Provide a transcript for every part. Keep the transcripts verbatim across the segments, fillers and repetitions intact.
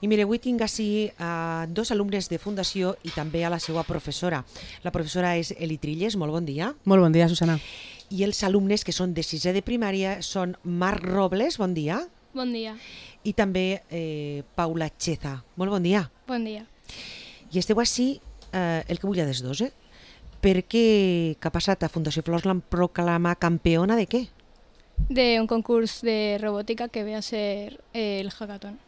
I mire, avui tinc així a dos alumnes de Fundació i també a la seva professora. La professora és Eli Trilles, molt bon dia. Molt bon dia, Susana. I els alumnes que són de sisè de primària són Marc Robles, bon dia. Bon dia. I també eh, Paula Cheza, molt bon dia. Bon dia. I esteu així, eh, el que vull des dos, eh? Perquè que ha passat a Fundació Flors l'han proclamat campiona de què? De un concurs de robótica que ve a ser eh, el hackathon.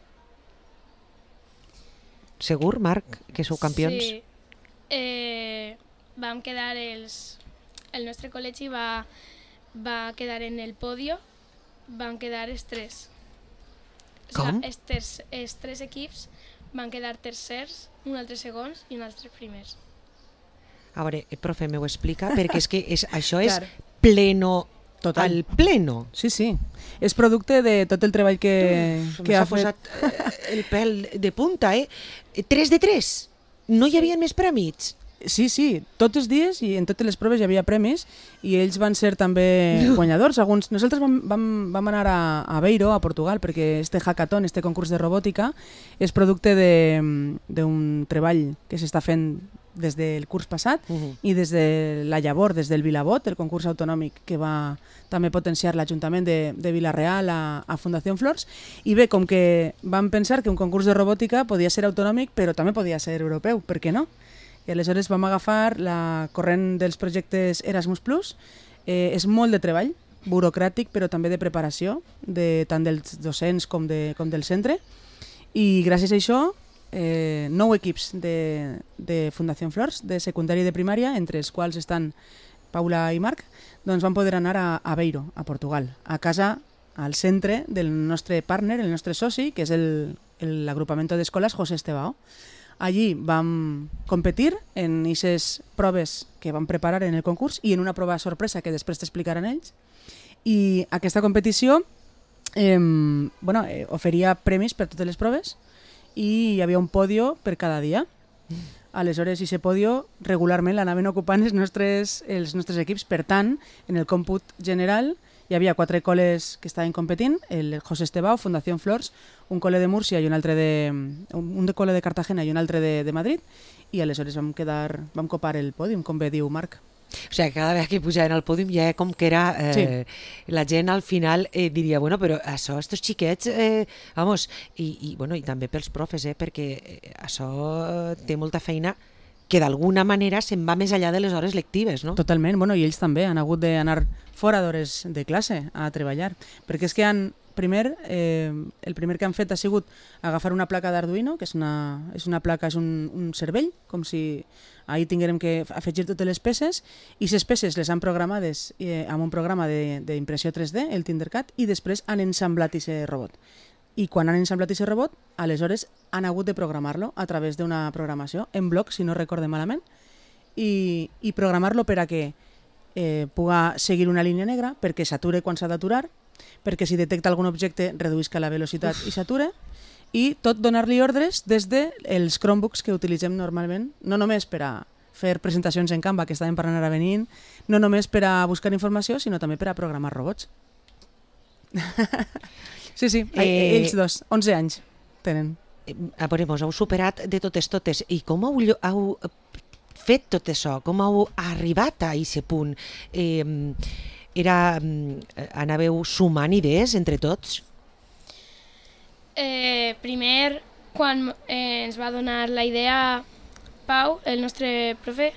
Segur, Marc, que sou campions? Sí. Eh, vam quedar els... El nostre col·legi va, va quedar en el podio, van quedar els tres. Com? O sigui, els, ter els tres equips van quedar tercers, un altre segons i un altre primers. A veure, profe, m'ho explica, perquè és que és, això és Clar. pleno, Total. al pleno. Sí, sí. És producte de tot el treball que, Uf, que ha s'ha fet. posat eh, el pèl de punta, eh? tres de tres. No hi havia més prèmits. Sí, sí, tots els dies i en totes les proves hi havia premis i ells van ser també guanyadors. Alguns, nosaltres vam, vam, vam anar a, a Aveiro, a Portugal, perquè este hackathon, este concurs de robòtica, és producte d'un treball que s'està fent des del curs passat uh -huh. i des de la llavor, des del Vilabot, el concurs autonòmic que va també potenciar l'Ajuntament de, de Vila-real a, a Fundació Flors. I bé, com que vam pensar que un concurs de robòtica podia ser autonòmic, però també podia ser europeu, per què no? I aleshores vam agafar la corrent dels projectes Erasmus plus. Eh, és molt de treball, burocràtic, però també de preparació, de, tant dels docents com, de, com del centre. I gràcies a això, eh, nou equips de, de Fundació Flors, de secundària i de primària, entre els quals estan Paula i Marc, doncs van poder anar a Aveiro, a Portugal, a casa, al centre del nostre partner, el nostre soci, que és l'agrupament d'escoles José Estebao. Allí vam competir en aquestes proves que vam preparar en el concurs i en una prova sorpresa que després t'explicaran ells. I aquesta competició eh, bueno, eh, oferia premis per totes les proves i hi havia un podio per cada dia. Aleshores, aquest podio regularment l'anaven ocupant els nostres, els nostres equips. Per tant, en el còmput general hi havia quatre col·les que estaven competint, el José Estebao, Fundació Flors, un col·le de Múrcia i un altre de, un de col·le de Cartagena i un altre de, de Madrid, i aleshores vam quedar, vam copar el pòdium, com bé diu Marc. O sigui, cada vegada que pujaven al pòdium ja com que era... Eh, sí. La gent al final eh, diria, bueno, però això, estos xiquets, eh, vamos, i, i, bueno, i també pels profes, eh, perquè eh, això té molta feina que d'alguna manera se'n va més enllà de les hores lectives, no? Totalment, bueno, i ells també han hagut d'anar fora d'hores de classe a treballar, perquè és que han, primer, eh, el primer que han fet ha sigut agafar una placa d'Arduino, que és una, és una placa, és un, un cervell, com si ahir tinguérem que afegir totes les peces, i les peces les han programades eh, amb un programa d'impressió tres D, el Tinkercad, i després han ensamblat aquest robot. I quan han ensamblat aquest robot, aleshores han hagut de programar-lo a través d'una programació en bloc, si no recorde malament, i, i programar-lo per a que eh, puga seguir una línia negra, perquè s'ature quan s'ha d'aturar, perquè si detecta algun objecte reduïsca la velocitat Uf. I s'ature, i tot donar-li ordres des dels Chromebooks que utilitzem normalment, no només per a fer presentacions en Canva, que estàvem parlant ara venint, no només per a buscar informació, sinó també per a programar robots. Sí, sí, eh, ells dos, onze anys tenen. A veure, vos heu superat de totes totes. I com heu, heu fet tot això? Com heu arribat a aquest punt? Eh, era, anàveu sumant idees entre tots? Eh, primer, quan eh, ens va donar la idea Pau, el nostre profe,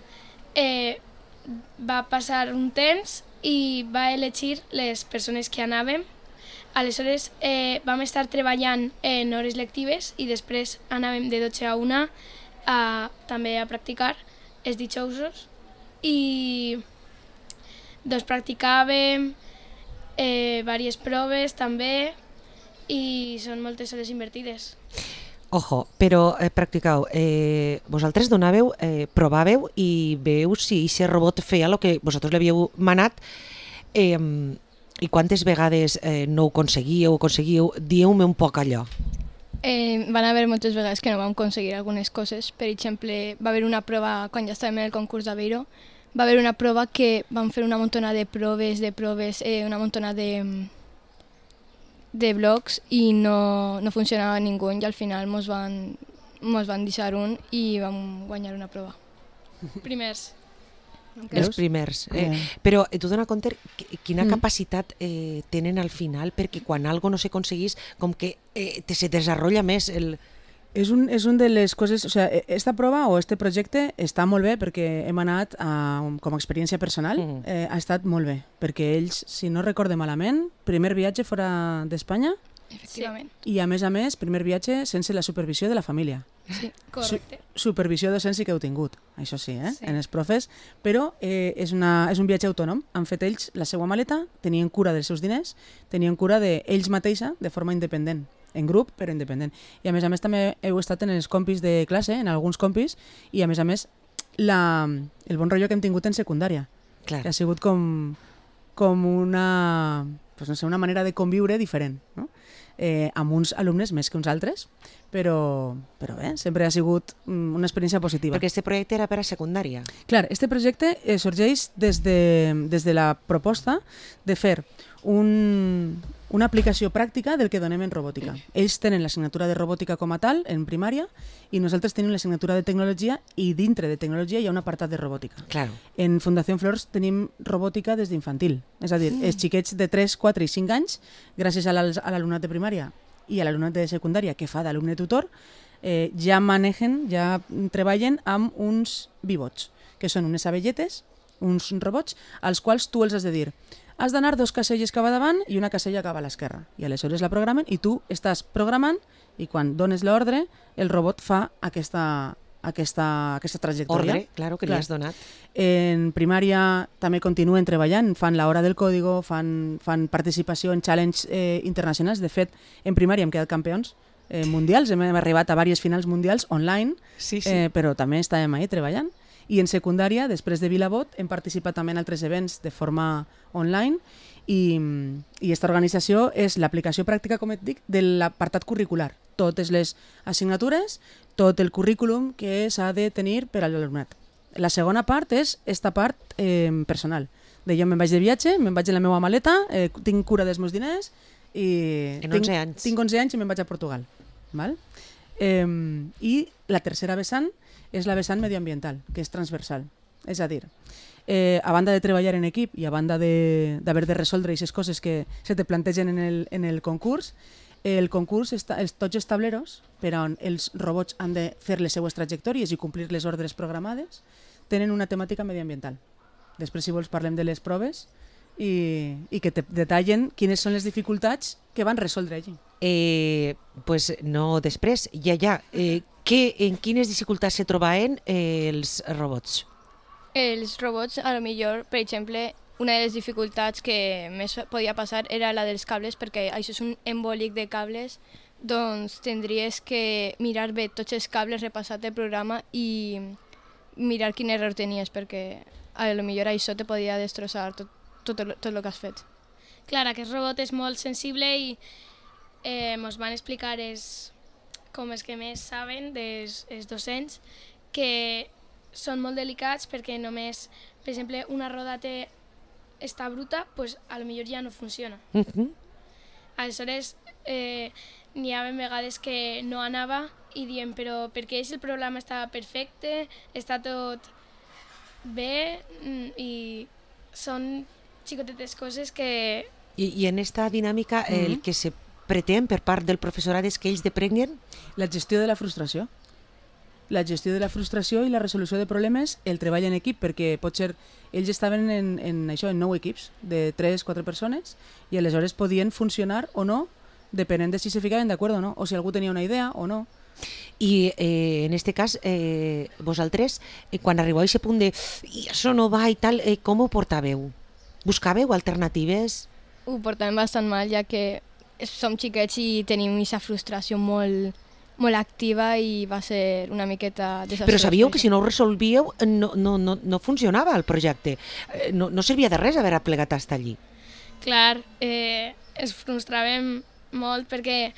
eh, va passar un temps i va elegir les persones que anàvem. Aleshores eh, vam estar treballant en hores lectives i després anàvem de dotze a una a, també a practicar els dijousos i doncs practicàvem eh, diverses proves també i són moltes hores invertides. Ojo, però eh, practicau, eh, vosaltres donàveu, eh, provàveu i veieu si aquest robot feia el que vosaltres l'havíeu manat. Eh, I quantes vegades eh, no ho aconseguíeu o aconseguíeu? Dieu-me un poc allò. Eh, van haver moltes vegades que no vam aconseguir algunes coses. Per exemple, va haver una prova, quan ja estàvem en el concurs d'Aveiro, va haver una prova que vam fer una muntona de proves, de proves, eh, una muntona de, de blocs i no, no funcionava ningú i al final mos van, mos van deixar un i vam guanyar una prova. Primers. Els primers. Eh? Yeah. Però eh, tu dona compte qui- quina Mm. capacitat eh, tenen al final, perquè quan algo no s'aconseguís, com que eh, te se desarrolla més el... És un, és un de les coses... O sea, esta prova o este projecte està molt bé perquè hem anat a, com a experiència personal. Mm. Eh, ha estat molt bé, perquè ells, si no recorde malament, primer viatge fora d'Espanya Efectivament. i, a més a més, primer viatge sense la supervisió de la família. Sí. Correcte. Supervisió docent sí que heu tingut, això sí, eh? Sí. en els profes, però eh, és, una, és un viatge autònom. Han fet ells la seva maleta, tenien cura dels seus diners, tenien cura d'ells mateixa de forma independent, en grup però independent. I a més a més també heu estat en els compis de classe, en alguns compis, i a més a més la, el bon rotllo que hem tingut en secundària, Clar. que ha sigut com, com una, pues no sé, una manera de conviure diferent, no? Eh, amb uns alumnes més que uns altres, però, però bé, sempre ha sigut mm, una experiència positiva. Perquè este projecte era per a secundària. Clar, este projecte eh, sorgeix des de, des de la proposta de fer un, una aplicació pràctica del que donem en robòtica. Ells tenen l'assignatura de robòtica com a tal, en primària, i nosaltres tenim l'assignatura de tecnologia i dintre de tecnologia hi ha un apartat de robòtica. Claro. En Fundació Flors tenim robòtica des d'infantil, és a dir, els xiquets de tres, quatre i cinc anys, gràcies a l'al- a l'alumnat de primària i a l'alumnat de secundària que fa d'alumne tutor, eh, ja manegen, ja treballen amb uns bibots, que són unes abelletes, uns robots, als quals tu els has de dir has d'anar dos caselles cap a davant i una casella cap a l'esquerra. I aleshores la programen i tu estàs programant i quan dones l'ordre el robot fa aquesta, aquesta, aquesta trajectòria. Ordre, claro, que li Clar. has donat. En primària també continuen treballant, fan l'hora del código, fan, fan participació en challenge eh, internacionals. De fet, en primària hem quedat campions eh, mundials, hem arribat a diverses finals mundials online, Sí, sí. eh, però també estàvem ahí treballant. I en secundària, després de Vilabot, hem participat també en altres events de forma online i, i aquesta organització és l'aplicació pràctica, com et dic, de l'apartat curricular. Totes les assignatures, tot el currículum que s'ha de tenir per a l'alumnat. La segona part és esta part eh, personal. De jo me'n vaig de viatge, me'n vaig en la meva maleta, eh, tinc cura dels meus diners i En tinc, onze anys. tinc onze anys i me'n vaig a Portugal. Val? Eh, I la tercera vessant és la vessant medioambiental, que és transversal. És a dir, eh, a banda de treballar en equip i a banda d'haver de, de resoldre aquestes coses que se te plantegen en el, en el concurs, el concurs, està, els, tots els tableros per on els robots han de fer les seues trajectòries i complir les ordres programades, tenen una temàtica medioambiental. Després, si vols, parlem de les proves i, i que te detallen quines són les dificultats que van resoldre allí. Eh, pues no, després, ja, ja. Eh, que, en quines dificultats se trobaven eh, els robots? Els robots, a lo millor, per exemple, una de les dificultats que més podia passar era la dels cables, perquè això és un embolic de cables, doncs tindries que mirar bé tots els cables, repassar el programa i mirar quin error tenies, perquè a lo millor això te podia destrossar tot, tot, el- tot el que has fet. Clar, aquest robot és molt sensible i eh, ens van explicar els, com els que més saben dels els docents que són molt delicats perquè només, per exemple, una roda té, està bruta, pues, a lo millor ja no funciona. Uh -huh. Aleshores, eh, n'hi ha vegades que no anava i diem, però per què si el programa estava perfecte, està tot bé mm, i són xicotetes coses que I, I en esta dinàmica eh, el Mhm. que se pretén per part del professorat és que ells deprenguen. La gestió de la frustració. La gestió de la frustració i la resolució de problemes, el treball en equip, perquè potser ells estaven en, en això, en nou equips de tres quatre persones i aleshores podien funcionar o no, depenent de si se ficaven d'acord o no, o si algú tenia una idea o no. I eh, en este cas, eh, vosaltres, eh, quan arribeu a aquest punt de i això no va i tal, eh, com ho portàveu? Buscàveu alternatives? Ho portem bastant mal, ja que som xiquets i tenim aquesta frustració molt, molt activa i va ser una miqueta desastrós. Però sabíeu que si no ho resolvíeu no, no, no, no funcionava el projecte. Eh, No, no servia de res haver plegat fins allí. clar, eh, ens frustràvem molt perquè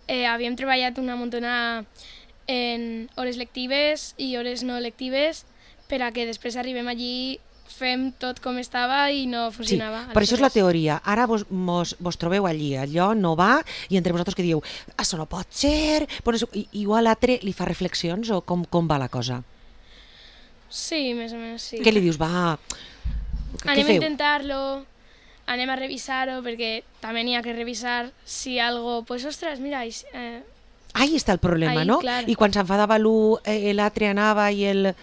eh, havíem treballat una muntona en hores lectives i hores no lectives per a que després arribem allí fem tot com estava i no Sí, funcionava. per això és la Aleshores, teoria. Ara vos, mos, vos trobeu allí, allò no va, i entre vosaltres que dieu, això no pot ser, però això, i- igual l'altre li fa reflexions o com, com va la cosa? Sí, més o menys sí. Què li dius, va, què Anem a feu? intentar-lo, anem a revisar-ho, perquè també n'hi ha que revisar si algo, pues ostres, mira, i- eh, Ahí està el problema, Ahí, no? clar. I quan s'enfadava l'u, eh, l'altre anava i el...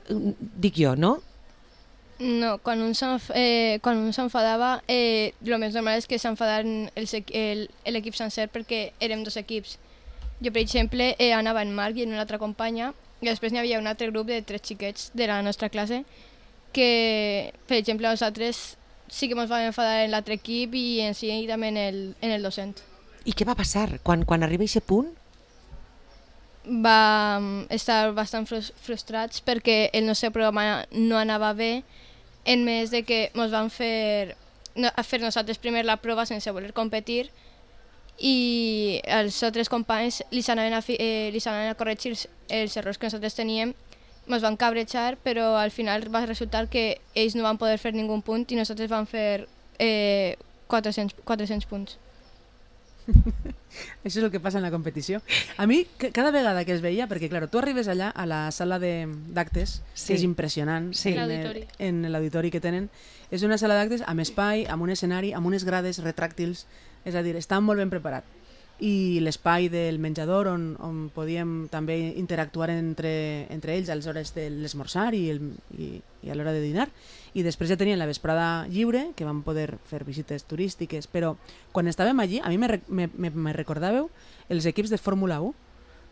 Dic jo, no? No, quan un s'enf- eh, quan un s'enfadava, eh, el més normal és que s'enfadaren els equ- el- l'equip sencer perquè érem dos equips. Jo, per exemple, eh, anava en Marc i en una altra companya, i després n'hi havia un altre grup de tres xiquets de la nostra classe que, per exemple, nosaltres sí que ens vam enfadar en l'altre equip i en si també en el, en el docent. I què va passar? Quan, quan arriba a aquest punt, Vam estar bastant frus- frustrats perquè el nostre programa no anava bé, en més de que ens van fer, no, a fer nosaltres primer la prova sense voler competir i els altres companys li s'anaven a, fi- eh, li s'anaven a corregir els, els errors que nosaltres teníem, ens van cabrejar, però al final va resultar que ells no van poder fer ningú punt i nosaltres vam fer eh, quatre-cents, quatre-cents punts. Això és el que passa en la competició. A mi, ca- cada vegada que es veia, perquè clar, tu arribes allà a la sala de- d'actes, Sí. que és impressionant, Sí. en el- L'auditori. en l'auditori que tenen, és una sala d'actes amb espai, amb un escenari, amb unes grades retràctils, és a dir, està molt ben preparat. I l'espai del menjador on, on podíem també interactuar entre, entre ells a les hores de l'esmorzar i, el, i, i a l'hora de dinar. I després ja tenien la vesprada lliure, que vam poder fer visites turístiques, però quan estàvem allí, a mi me, re- me, me, me recordàveu els equips de Fórmula u,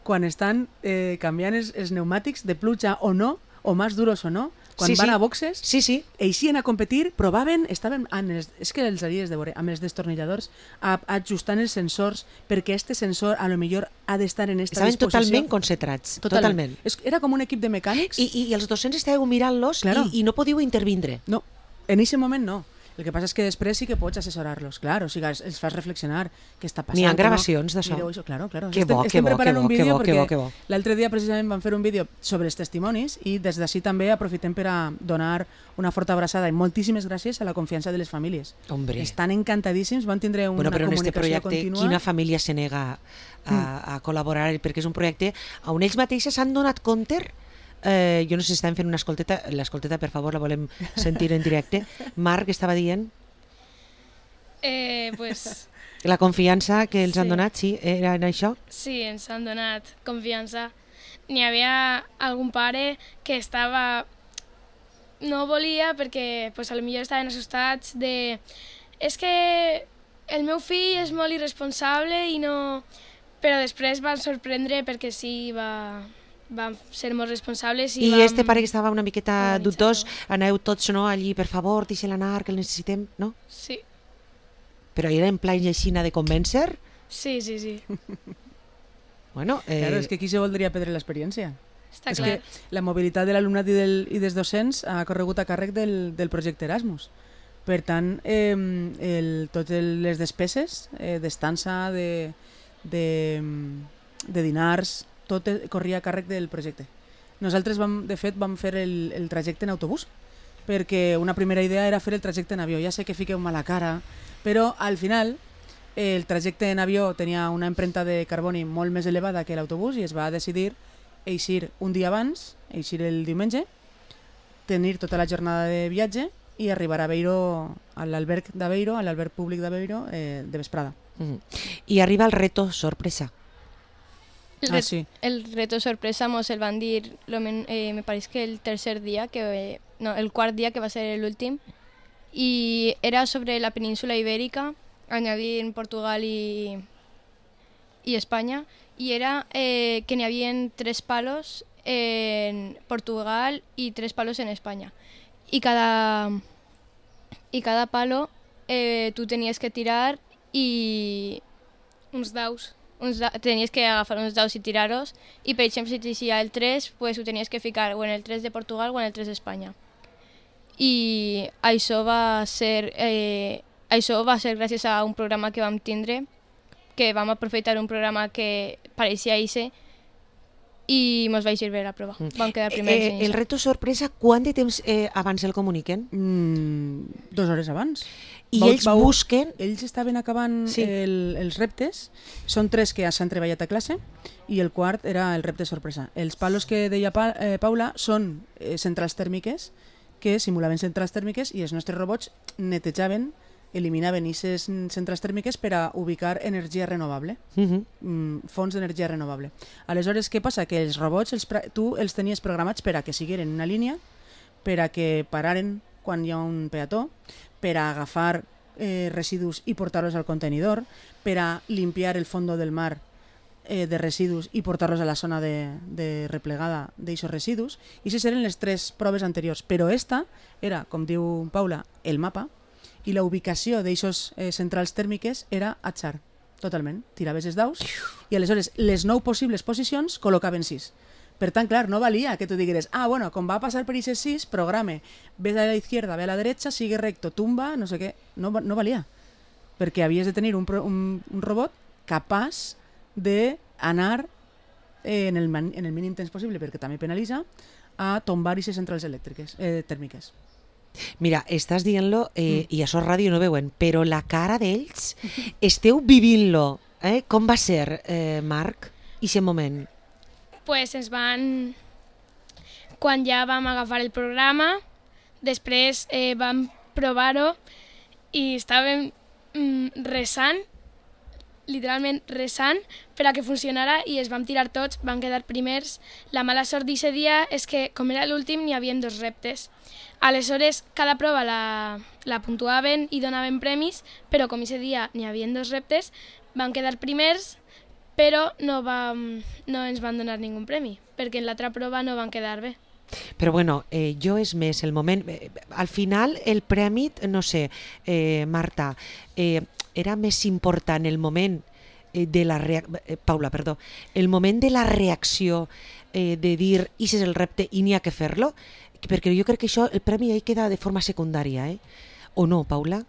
quan estan eh, canviant els, els pneumàtics de pluja o no, o més duros o no, quan Sí, van sí. a boxes, sí, sí, eixien a competir, provaven, estaven amb els, és que els haries de veure, amb els destornilladors, a, ajustant els sensors, perquè este sensor a lo millor ha d'estar en esta estaven disposició. totalment concentrats, totalment. És, era com un equip de mecànics. I, i els docents estàveu mirant-los Claro. i, i no podíeu intervindre. No, en aquest moment no. El que passa és que després sí que pots assessorar-los, clar, o sigui, els, els fas reflexionar què està passant. N'hi ha que gravacions no. d'això? Mireu això, claro, claro. Que estem, bo, que estem bo, preparant que bo, un que vídeo bo, que perquè bo, que bo. l'altre dia precisament vam fer un vídeo sobre els testimonis i des d'ací també aprofitem per a donar una forta abraçada i moltíssimes gràcies a la confiança de les famílies. Hombre. Estan encantadíssims, van tindre una Bueno, però en este comunicació projecte, contínua. quina família se nega a, a col·laborar? Perquè és un projecte on ells mateixes s'han donat compte. Eh, jo no sé si estan fent una escolteta, l'escolteta, per favor, la volem sentir en directe. Marc estava dient eh, pues, la confiança que els han Sí. donat, sí, era en això? sí, ens han donat confiança. N'hi havia algun pare que estava... No volia perquè pues, a lo millor estaven assustats de... És que el meu fill és molt irresponsable i no... Però després van sorprendre perquè sí, va, van ser molt responsables i, I vam este pare que estava una miqueta organitzar-ho. dubtós, aneu tots no, allí, per favor, deixa'l anar, que el necessitem, no? Sí, Però era en plan aixina de convèncer? sí, sí, sí. Bueno, eh, Claro, és que aquí se voldria perdre l'experiència. Està És clar. que la mobilitat de l'alumnat i, del, i dels docents ha corregut a càrrec del, del projecte Erasmus. Per tant, eh, el, totes les despeses eh, d'estança, de, de, de dinars, tot eh, corria a càrrec del projecte. Nosaltres, vam, de fet, vam fer el, el trajecte en autobús, perquè una primera idea era fer el trajecte en avió. Ja sé que fiqueu mala cara, però al final el trajecte en avió tenia una empremta de carboni molt més elevada que l'autobús i es va decidir eixir un dia abans, eixir el diumenge, tenir tota la jornada de viatge i arribar a Beiro, a l'alberg d'Aveiro, a l'alberg públic d'Aveiro, eh, de vesprada. mm. I arriba el reto sorpresa. El, Ah, re- sí. el reto sorpresa mos el van dir, lo men- eh, me pareix que el tercer dia, que, eh, no, el quart dia, que va ser l'últim, i era sobre la península ibèrica, añadint Portugal i, i Espanya, i era eh, que n'hi havia tres palos en Portugal i tres palos en Espanya. I cada, i cada palo eh, tu tenies que tirar i Uns daus. uns da- tenies que agafar uns daus i tirar-los i per exemple si t'eixia el tres pues, ho tenies que ficar o en el tres de Portugal o en el tres d'Espanya i això va ser eh, això va ser gràcies a un programa que vam tindre que vam aprofitar un programa que pareixia I C i mos vaig servir la prova. Vam quedar primers. Eh, el reto sorpresa, quant de temps eh, abans el comuniquen? Mm, dos hores abans. I Vau- ells vau- busquen... Ells estaven acabant Sí. el, els reptes, són tres que ja s'han treballat a classe i el quart era el repte sorpresa. Els palos que deia pa, eh, Paula són eh, centrals tèrmiques que simulaven centrals tèrmiques i els nostres robots netejaven, eliminaven aquestes centrals tèrmiques per a ubicar energia renovable, Uh -huh. mm, fonts d'energia renovable. Aleshores, què passa? Que els robots els, pra- tu els tenies programats per a que sigueren en una línia, per a que pararen quan hi ha un peató, per a agafar eh, residus i portar-los al contenidor, per a limpiar el fondo del mar eh, de residus i portar-los a la zona de, de replegada d'aixos residus. I aquestes eren les tres proves anteriors. Però esta era, com diu Paula, el mapa, i la ubicació d'aixos eh, centrals tèrmiques era atzar, totalment. Tiraves els daus i aleshores les nou possibles posicions col·locaven sis. Per tant, clar, no valia que tu digueres, ah, bueno, com va passar per aquestes sis, programe, ve a la izquierda, ve a la derecha, sigue recto, tumba, no sé què. No, va- no valia. Perquè havies de tenir un, pro- un, un robot capaç d'anar eh, en, el, man- en el mínim temps possible, perquè també penalitza, a tombar aquestes centrals elèctriques, eh, tèrmiques. Mira, estàs dient-lo eh, i això a ràdio no veuen, però la cara d'ells, esteu vivint-lo. Eh? Com va ser, eh, Marc, aquest moment? Pues ens van... Quan ja vam agafar el programa, després eh, vam provar-ho i estàvem mm, resant, literalment resant, per a que funcionara i es vam tirar tots, vam quedar primers. La mala sort d'aquest dia és que, com era l'últim, n'hi havia dos reptes. Aleshores, cada prova la, la puntuaven i donaven premis, però com aquest dia n'hi havia dos reptes, vam quedar primers, però no, vam, no ens van donar ningú premi, perquè en l'altra prova no van quedar bé. Però bueno, eh, jo és més el moment... Eh, al final el premi, no sé, eh, Marta, eh, era més important el moment eh, de la reacció... Eh, Paula, perdó. El moment de la reacció eh, de dir, i és el repte i n'hi ha que fer-lo, perquè jo crec que això, el premi ahí queda de forma secundària, eh? O no, Paula?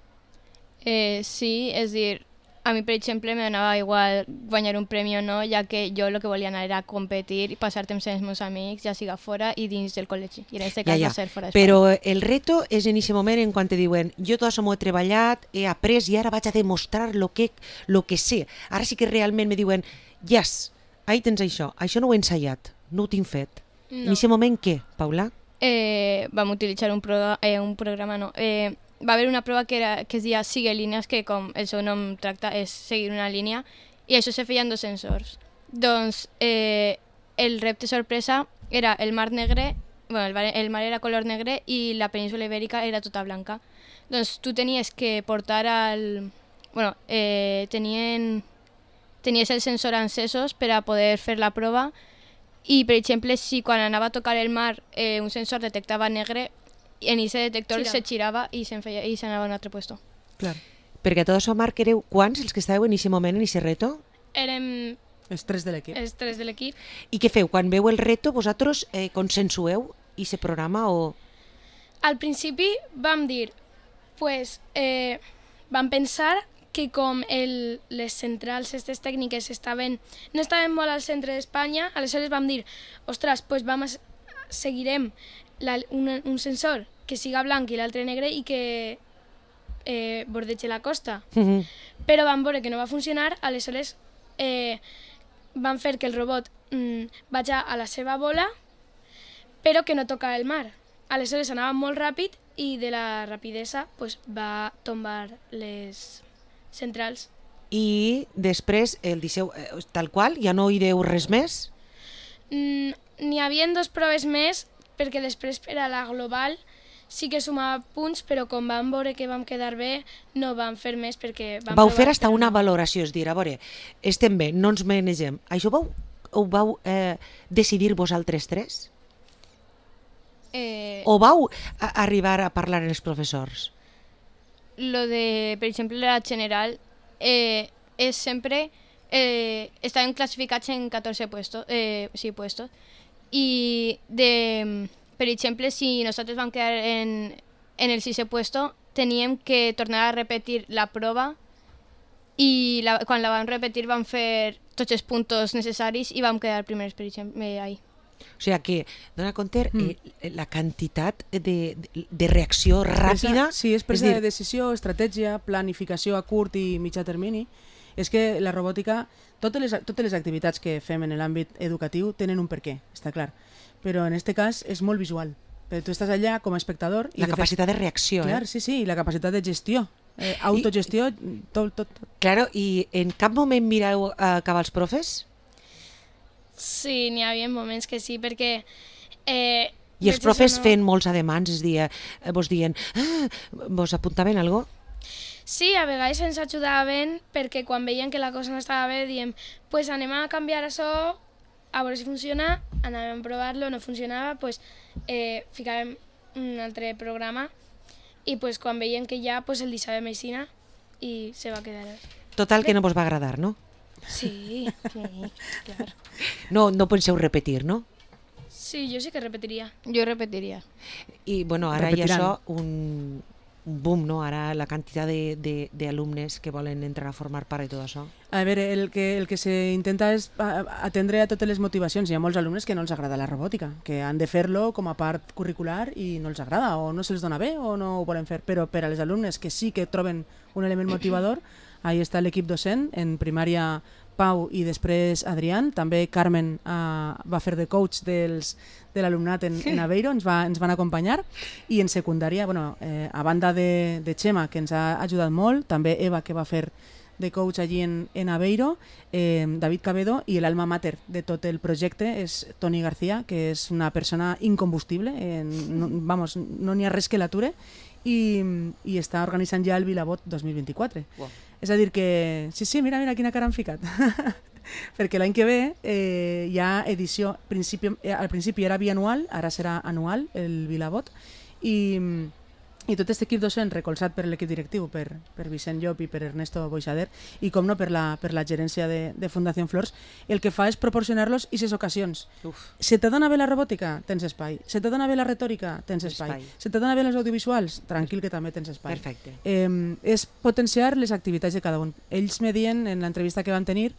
Eh, sí, és dir, a mi, per exemple, me donava igual guanyar un premi o no, ja que jo el que volia anar era competir i passar temps amb els meus amics, ja siga fora i dins del col·legi. I en aquest cas va ser fora d'Espanya. Però el reto és en aquest moment en quan te diuen jo tot això m'ho he treballat, he après i ara vaig a demostrar lo que, lo que sé. Ara sí que realment me diuen yes, ahí tens això, això no ho he ensaiat, no ho tinc fet. No. En aquest moment què, Paula? Eh, vam utilitzar un, pro, eh, un programa, no, eh, va haver una prova que, era, que es deia Sigue línies, que com el seu nom tracta és seguir una línia, i això se feien dos sensors. Doncs eh, el repte sorpresa era el mar negre, bueno, el, mar- el mar era color negre i la península ibèrica era tota blanca. Doncs tu tenies que portar al... Bueno, eh, tenien, tenies el sensor encesos per a poder fer la prova i, per exemple, si quan anava a tocar el mar eh, un sensor detectava negre, en aquest detector Girava. se girava i se'n feia, i s'anava a un altre puesto. Clar. Perquè a tot això, Marc, éreu quants els que estàveu en aquest moment, en aquest reto? Érem Els tres de l'equip. els tres de l'equip. I què feu? Quan veu el reto, vosaltres eh, consensueu aquest programa o... Al principi vam dir, pues, eh, vam pensar que com el, les centrals aquestes tècniques estaven, no estaven molt al centre d'Espanya, aleshores vam dir, ostres, pues vam a, seguirem la, una, un sensor que siga blanc i l'altre negre i que eh, bordegi la costa. Uh -huh. Però vam veure que no va funcionar, aleshores eh, van fer que el robot mm, vagi a la seva bola, però que no toca el mar. Aleshores anava molt ràpid i de la rapidesa pues, va tombar les centrals. I després el disseu eh, tal qual, ja no hi deu res més? Mm, N'hi havia dos proves més, perquè després per a la global sí que sumava punts, però com vam veure que vam quedar bé, no vam fer més perquè vam Vau provar, fer hasta però una no. valoració, és dir, a veure, estem bé, no ens manegem. Això vau, ho vau eh, decidir vosaltres tres? Eh, O vau a arribar a parlar amb els professors? Lo de, per exemple, la general eh, és sempre... Eh, estaven classificats en catorze puestos, eh, sí, puestos. I, de, per exemple, si nosaltres vam quedar en, en el sisè puesto, teníem que tornar a repetir la prova i la, quan la vam repetir vam fer tots els punts necessaris i vam quedar primers, per exemple, ahí. O sigui que, dona compte, mm. eh, la quantitat de, de reacció ràpida... Sí, és presa de decisió, estratègia, planificació a curt i mitjà termini. És que la robòtica, totes les, totes les activitats que fem en l'àmbit educatiu tenen un perquè, està clar. Però en aquest cas és molt visual. Però tu estàs allà com a espectador... I la de capacitat fet, de reacció, clar, eh? Sí, sí, i la capacitat de gestió. Eh, autogestió, I, tot, tot, tot. Claro, i en cap moment mireu a cap als profes? Sí, n'hi havia moments que sí, perquè... Eh, I els profes no... fent molts ademans, és dir, vos dient, ah, vos apuntaven alguna cosa? Sí, a vegades ens ajudaven perquè quan veien que la cosa no estava bé diem pues anem a canviar això, a veure si funciona, anàvem a provar-lo, no funcionava, pues eh, ficàvem un altre programa i pues quan veien que ja pues el deixàvem així i se va quedar. Total que no vos va agradar, no? Sí, sí, clar. No, no penseu repetir, no? Sí, jo sí que repetiria. Jo repetiria. I bueno, ara Repetiran. hi ha això, un, un boom, no? Ara la quantitat d'alumnes que volen entrar a formar part i tot això. A veure, el que, el que se intenta és atendre a totes les motivacions. Hi ha molts alumnes que no els agrada la robòtica, que han de fer-lo com a part curricular i no els agrada, o no se'ls dona bé, o no ho volen fer. Però per a les alumnes que sí que troben un element motivador, ahí està l'equip docent, en primària Pau i després Adrián, també Carmen uh, va fer de coach dels, de l'alumnat en, en Aveiro, ens, va, ens van acompanyar, i en secundària, bueno, eh, a banda de, de Xema, que ens ha ajudat molt, també Eva, que va fer de coach allí en, en Aveiro, eh, David Cabedo, i l'alma mater de tot el projecte és Toni García, que és una persona incombustible, eh, no, vamos, no n'hi ha res que l'ature, i, i està organitzant ja el Vilabot dos mil vint-i-quatre. Wow. És a dir que, sí, sí, mira, mira quina cara han ficat. Perquè l'any que ve eh, hi ha edició, principi, eh, al principi era bianual, ara serà anual el Vilabot, i, i tot aquest equip docent recolzat per l'equip directiu, per, per Vicent Llop i per Ernesto Boixader, i com no per la, per la gerència de, de Fundació Flors, el que fa és proporcionar-los aquestes ocasions. Uf. Se te dona bé la robòtica? Tens espai. Se te dona bé la retòrica? Tens espai. espai. Se te dona bé els audiovisuals? Tranquil, que també tens espai. Perfecte. Eh, és potenciar les activitats de cada un. Ells me diuen, en l'entrevista que vam tenir,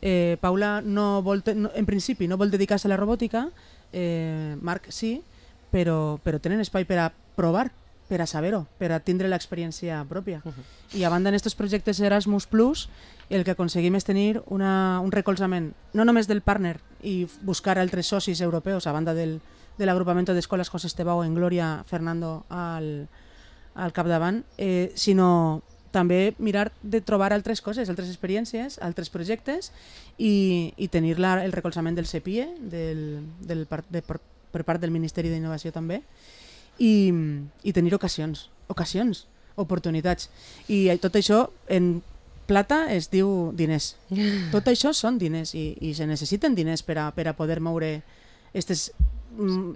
eh, Paula no vol te, no, en principi no vol dedicar-se a la robòtica, eh, Marc sí, però, però tenen espai per a provar, per a saber-ho, per a tindre l'experiència pròpia. Uh -huh. I a banda en aquests projectes Erasmus Plus, el que aconseguim és tenir una, un recolzament, no només del partner i buscar altres socis europeus, a banda del, de l'agrupament d'escoles José Estebao en Glòria Fernando al, al capdavant, eh, sinó també mirar de trobar altres coses, altres experiències, altres projectes i, i tenir la, el recolzament del C P I E, del, del, de, per, per part del Ministeri d'Innovació també, i, i tenir ocasions, ocasions, oportunitats. I tot això en plata es diu diners. Tot això són diners i, i se necessiten diners per a, per a poder moure estes,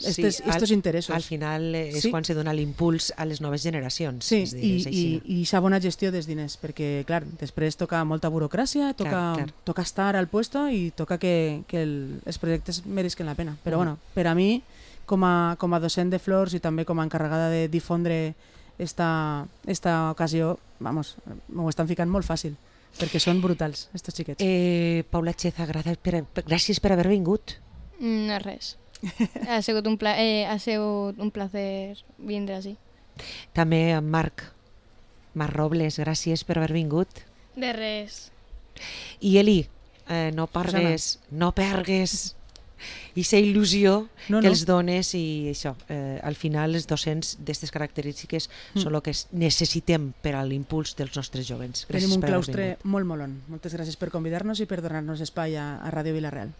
estes, sí, estos al, interessos. Al final és sí. quan se dona l'impuls a les noves generacions. Sí, és dir, i, és així. i, i sa bona gestió dels diners, perquè clar, després toca molta burocràcia, toca, clar, clar. toca estar al puesto i toca que, que el, els projectes meresquen la pena. Però mm. bueno, per a mi, com a, com a docent de Flors i també com a encarregada de difondre esta, esta ocasió, vamos, m'ho estan ficant molt fàcil, perquè són brutals, estos xiquets. Eh, Paula Cheza, gràcies per, gràcies per haver vingut. No res. Ha sigut un, pla eh, ha sigut un placer vindre així. També en Marc, Marc Robles, gràcies per haver vingut. De res. I Eli, eh, no pargues, no pergues aquesta il·lusió no, que no. els dones i això, eh, al final els docents d'aquestes característiques mm. són el que necessitem per a l'impuls dels nostres jovens. Gràcies. Tenim un per haver claustre vingut. molt molon. Moltes gràcies per convidar-nos i per donar-nos espai a, a Ràdio Vila-real.